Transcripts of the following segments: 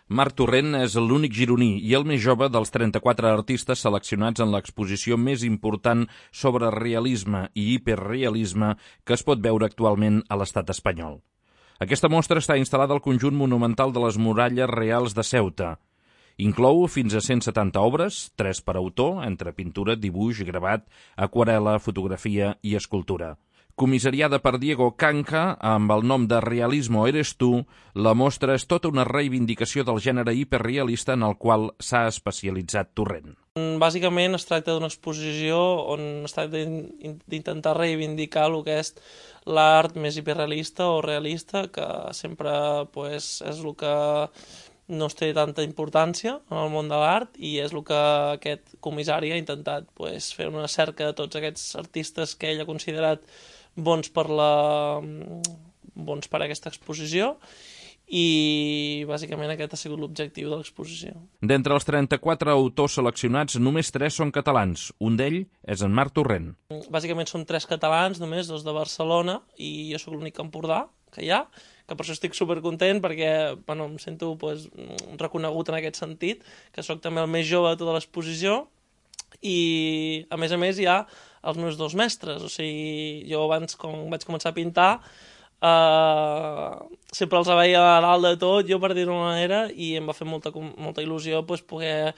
Marc Torrent és l'únic gironí i el més jove dels 34 artistes seleccionats en l'exposició més important sobre realisme i hiperrealisme que es pot veure actualment a l'estat espanyol. Aquesta mostra està instal·lada al conjunt monumental de les Muralles Reals de Ceuta. Inclou fins a 170 obres, 3 per autor, entre pintura, dibuix, gravat, aquarel·la, fotografia i escultura. Comissariada per Diego Canca, amb el nom de Realismo Eres Tu, la mostra és tota una reivindicació del gènere hiperrealista en el qual s'ha especialitzat Torrent. Bàsicament es tracta d'una exposició on es tracta d'intentar reivindicar el que és l'art més hiperrealista o realista, que sempre és el que no es té tanta importància en el món de l'art i és el que aquest comissari ha intentat fer una cerca de tots aquests artistes que ell ha considerat bons per aquesta exposició i bàsicament aquest ha sigut l'objectiu de l'exposició. D'entre els 34 autors seleccionats, només 3 són catalans. Un d'ells és en Marc Torrent. Bàsicament són 3 catalans, només 2 de Barcelona i jo sóc l'únic empordà que hi ha, que per això estic supercontent perquè em sento reconegut en aquest sentit, que sóc també el més jove de tota l'exposició i a més hi ha els meus 2 mestres, o sigui, jo abans quan vaig començar a pintar sempre els veia a dalt de tot, jo per dir-ho d'una manera, i em va fer molta il·lusió poder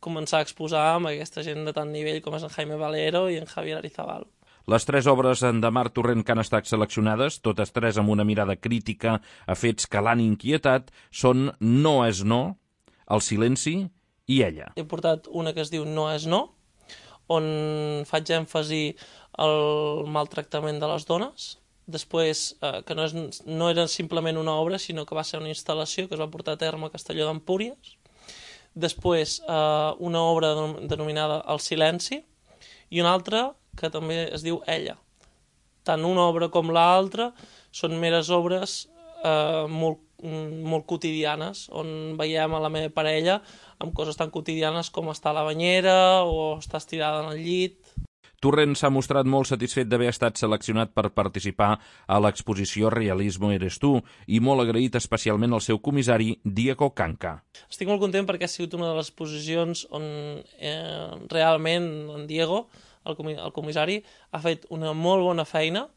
començar a exposar amb aquesta gent de tant nivell com és en Jaime Valero i en Javier Arizabal. Les 3 obres de Marc Torrent que han estat seleccionades, totes 3 amb una mirada crítica a fets que l'han inquietat, són No és no, El silenci i Ella. He portat una que es diu No és no, on faig èmfasi al maltractament de les dones, després que no era simplement una obra, sinó que va ser una instal·lació que es va portar a terme a Castelló d'Empúries, després una obra denominada El silenci i una altra que també es diu Ella. Tant una obra com l'altra són meres obres molt quotidianes, on veiem a la meva parella amb coses tan quotidianes com estar a la banyera o estar estirada en el llit. Torrent s'ha mostrat molt satisfet d'haver estat seleccionat per participar a l'exposició Realismo Eres Tu i molt agraït especialment al seu comissari Diego Canca. Estic molt content perquè ha sigut una de les exposicions on realment en Diego, el comissari, ha fet una molt bona feina.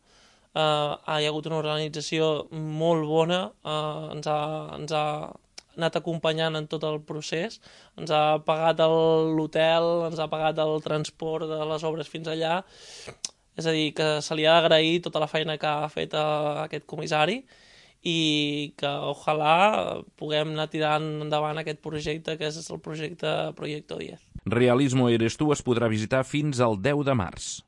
Hi ha hagut una organització molt bona, ens ha anat acompanyant en tot el procés, ens ha pagat l'hotel, ens ha pagat el transport de les obres fins allà, és a dir, que se li ha d'agrair tota la feina que ha fet aquest comissari i que ojalà puguem anar tirant endavant aquest projecte que és el projecte Proyecto 10. Realismo Eres Tu es podrà visitar fins al 10 de març.